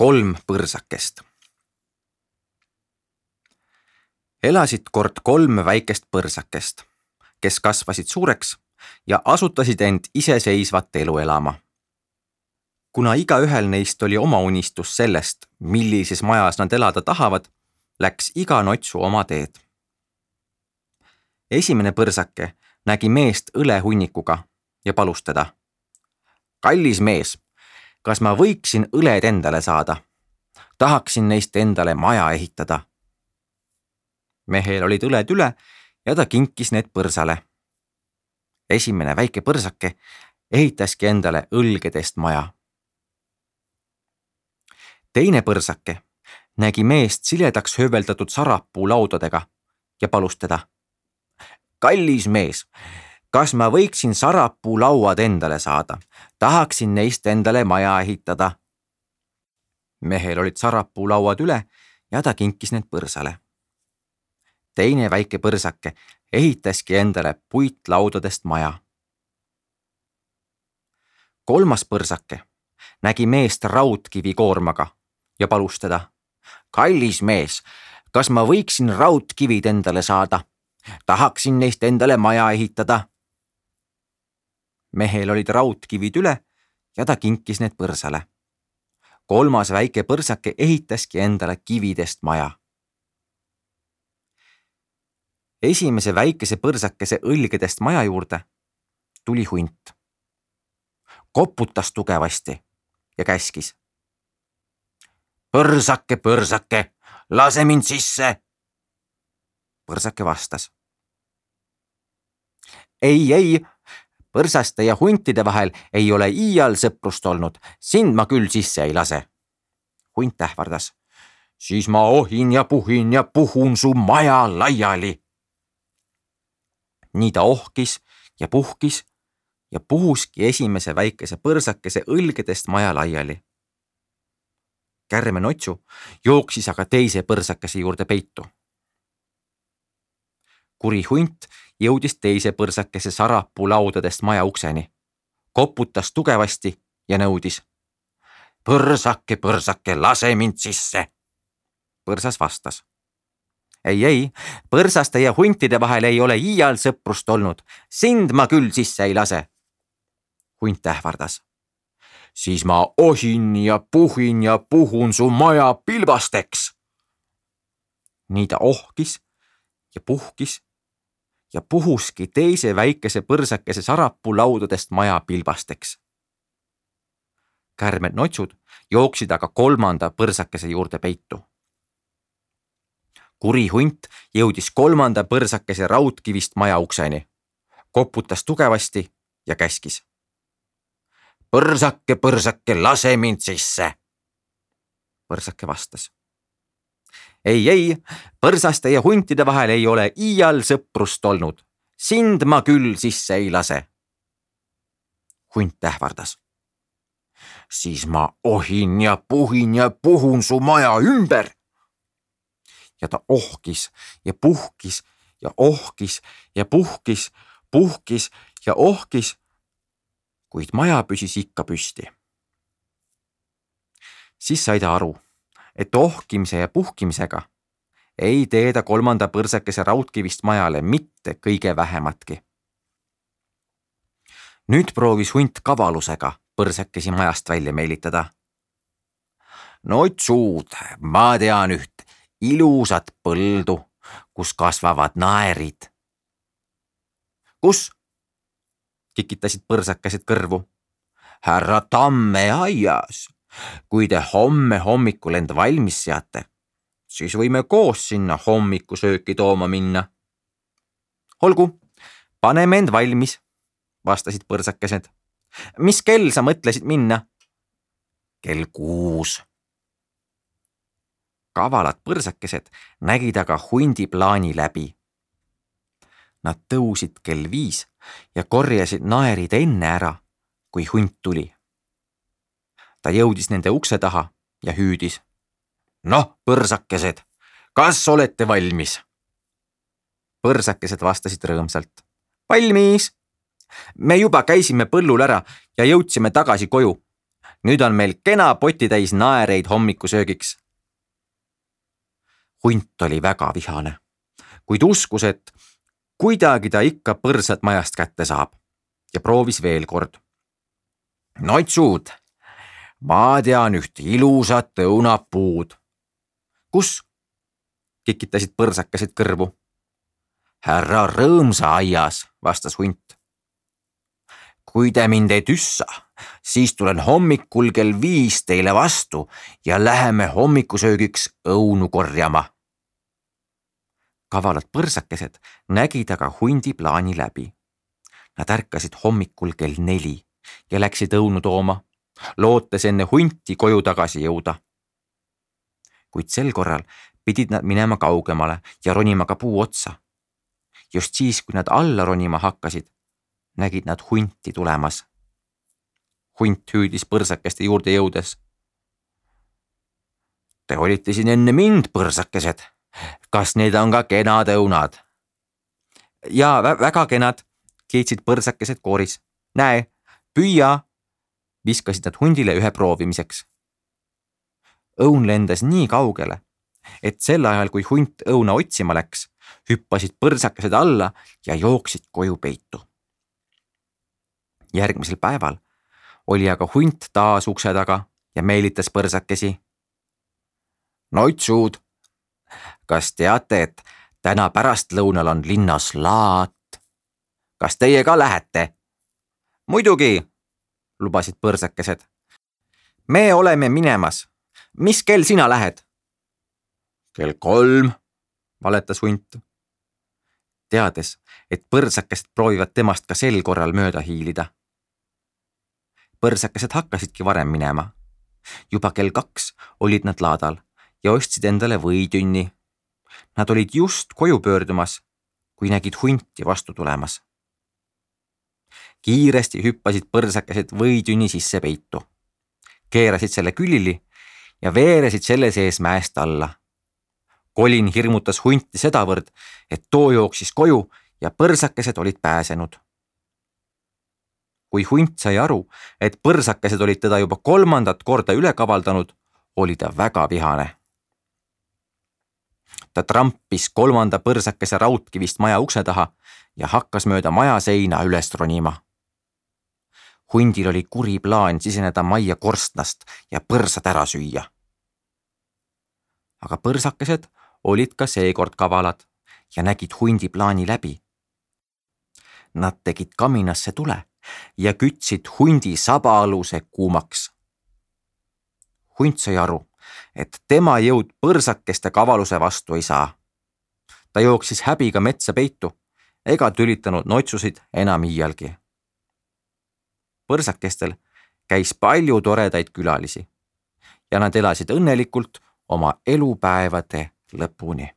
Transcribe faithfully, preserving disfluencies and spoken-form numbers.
kolm põrsakest. Elasid kord kolm väikest põrsakest, kes kasvasid suureks ja asutasid end iseseisvat elu elama. Kuna igaühel neist oli oma unistus sellest, millises majas nad elada tahavad, läks iga notsu oma teed. Esimene põrsake nägi meest õlehunnikuga ja palus teda. Kallis mees, kas ma võiksin õled endale saada? Tahaksin neist endale maja ehitada. Mehel olid õled üle ja ta kinkis need põrsale. Esimene väike põrsake ehitaski endale õlgedest maja. Teine põrsake nägi meest siledaks hööveldatud sarapuu laudadega ja palus teda. Kallis mees, kas ma võiksin sarapuu lauad endale saada? Tahaksin neist endale maja ehitada. Mehel olid sarapuu lauad üle ja ta kinkis need põrsale. Teine väike põrsake ehitaski endale puitlaudadest maja. Kolmas põrsake nägi meest raudkivi koormaga ja palus teda. Kallis mees, kas ma võiksin raudkivid endale saada? Tahaksin neist endale maja ehitada. Mehel olid raudkivid üle ja ta kinkis need põrsale. Kolmas väike põrsake ehitaski endale kividest maja. Esimese väikese põrsakese õlgedest maja juurde tuli hunt. Koputas tugevasti ja käskis. Põrsake, põrsake, lase mind sisse. Põrsake vastas. Ei, ei, põrsaste ja huntide vahel ei ole iial sõprust olnud, sind ma küll sisse ei lase. Hunt ähvardas. Siis ma ohin ja puhin ja puhun su maja laiali. Nii ta ohkis ja puhkis ja puhuski esimese väikese põrsakese õlgedest maja laiali. Kärme notsu jooksis aga teise põrsakese juurde peitu. Kuri hunt jõudis teise põrsakese sarapuu laudadest maja ukseni, koputas tugevasti ja nõudis. Põrsake, põrsake, lase mind sisse. Põrsas vastas. Ei, ei, põrsaste ja huntide vahel ei ole iial sõprust olnud, sind ma küll sisse ei lase. Hunt ähvardas. Siis ma ohin ja puhin ja puhun su maja pilbasteks. Nii ta ohkis ja puhkis ja puhuski teise väikese põrsakese sarapuu laudadest maja pilbasteks. Kärmed notsud jooksid aga kolmanda põrsakese juurde peitu. Kuri hunt jõudis kolmanda põrsakese raudkivist maja ukseni, koputas tugevasti ja käskis. Põrsake, põrsake, lase mind sisse. Põrsake vastas. Ei, ei, põrsaste ja huntide vahel ei ole iial sõprust olnud, sind ma küll sisse ei lase. Hunt ähvardas. Siis ma ohin ja puhin ja puhun su maja ümber. Ja ta ohkis ja puhkis ja ohkis ja puhkis, puhkis ja ohkis, kuid maja püsis ikka püsti. Siis sai ta aru, et ohkimise ja puhkimisega ei tee ta kolmanda põrsakese raudkivist majale mitte kõige vähematki. Nüüd proovis hunt kavalusega põrsakesi majast välja meelitada. Notsud, ma tean üht ilusat põldu, kus kasvavad naerid. Kus? Kikitasid põrsakesed kõrvu. Härra Tamme aias. Kui te homme hommikul end valmis seate, siis võime koos sinna hommikusööki tooma minna. Olgu, paneme end valmis, vastasid põrsakesed. Mis kell sa mõtlesid minna? Kell kuus. Kavalad põrsakesed nägid aga hundi plaani läbi. Nad tõusid kell viis ja korjasid naerid enne ära, kui hunt tuli. Ta jõudis nende ukse taha ja hüüdis. Noh, põrsakesed, kas olete valmis? Põrsakesed vastasid rõõmsalt. Valmis! Me juba käisime põllul ära ja jõudsime tagasi koju. nüüd on meil kena potitäis naereid hommikusöögiks. Hunt oli väga vihane, kuid uskus, et kuidagi ta ikka põrsad majast kätte saab ja proovis veel kord. Noitsud, ma tean üht ilusat õunapuud. Kus? Kikitasid põrsakesed kõrvu. Härra Rõõmsa aias, vastas hunt. Kui te mind ei tüssa, siis tulen hommikul kell viis teile vastu ja läheme hommikusöögiks õunu korjama. Kavalad põrsakesed nägid aga hundi plaani läbi. Nad ärkasid hommikul kell neli ja läksid õunu tooma, lootes enne hunti koju tagasi jõuda. Kuid sel korral pidid nad minema kaugemale ja ronima ka puu otsa. Just siis, kui nad alla ronima hakkasid, nägid nad hunti tulemas. Hunt hüüdis põrsakeste juurde jõudes. Te olite siin enne mind, põrsakesed. Kas need on ka kenad õunad? Jaa, vä väga kenad, kiitsid põrsakesed kooris. Näe, püüa, viskasid nad hundile ühe proovimiseks. Õun lendas nii kaugele, et sel ajal, kui hunt õuna otsima läks, hüppasid põrsakesed alla ja jooksid koju peitu. Järgmisel päeval oli aga hunt taas ukse taga ja meelitas põrsakesi. Noitsud, kas teate, et täna pärastlõunal on linnas laat? Kas teie ka lähete? Muidugi, lubasid põrsakesed. Me oleme minemas. Mis kell sina lähed? Kell kolm, valetas hunt. Teades, et põrsakesed proovivad temast ka sel korral mööda hiilida. Põrsakesed hakkasidki varem minema. Juba kell kaks olid nad laadal ja ostsid endale võitünni. Nad olid just koju pöördumas, kui nägid hunti vastu tulemas. Kiiresti hüppasid põrsakesed võitünni sisse peitu. Keerasid selle külili ja veeresid selle sees mäest alla. Colin hirmutas hunti sedavõrd, et too jooksis koju ja põrsakesed olid pääsenud. Kui hunt sai aru, et põrsakesed olid teda juba kolmandat korda üle kavaldanud, oli ta väga vihane. Ta trampis kolmanda põrsakese raudkivist maja ukse taha ja hakkas mööda maja seina üles ronima. Hundil oli kuri plaan siseneda majja korstnast ja põrsad ära süüa. Aga põrsakesed olid ka seekord kavalad ja nägid hundi plaani läbi. Nad tegid kaminasse tule ja kütsid hundi sabaaluse kuumaks. Hunt sai aru, et tema jõud põrsakeste kavaluse vastu ei saa. Ta jooksis häbiga metsa peitu ega tülitanud noitsusid enam iialgi. Põrsakestel käis palju toredaid külalisi ja nad elasid õnnelikult oma elupäevade lõpuni.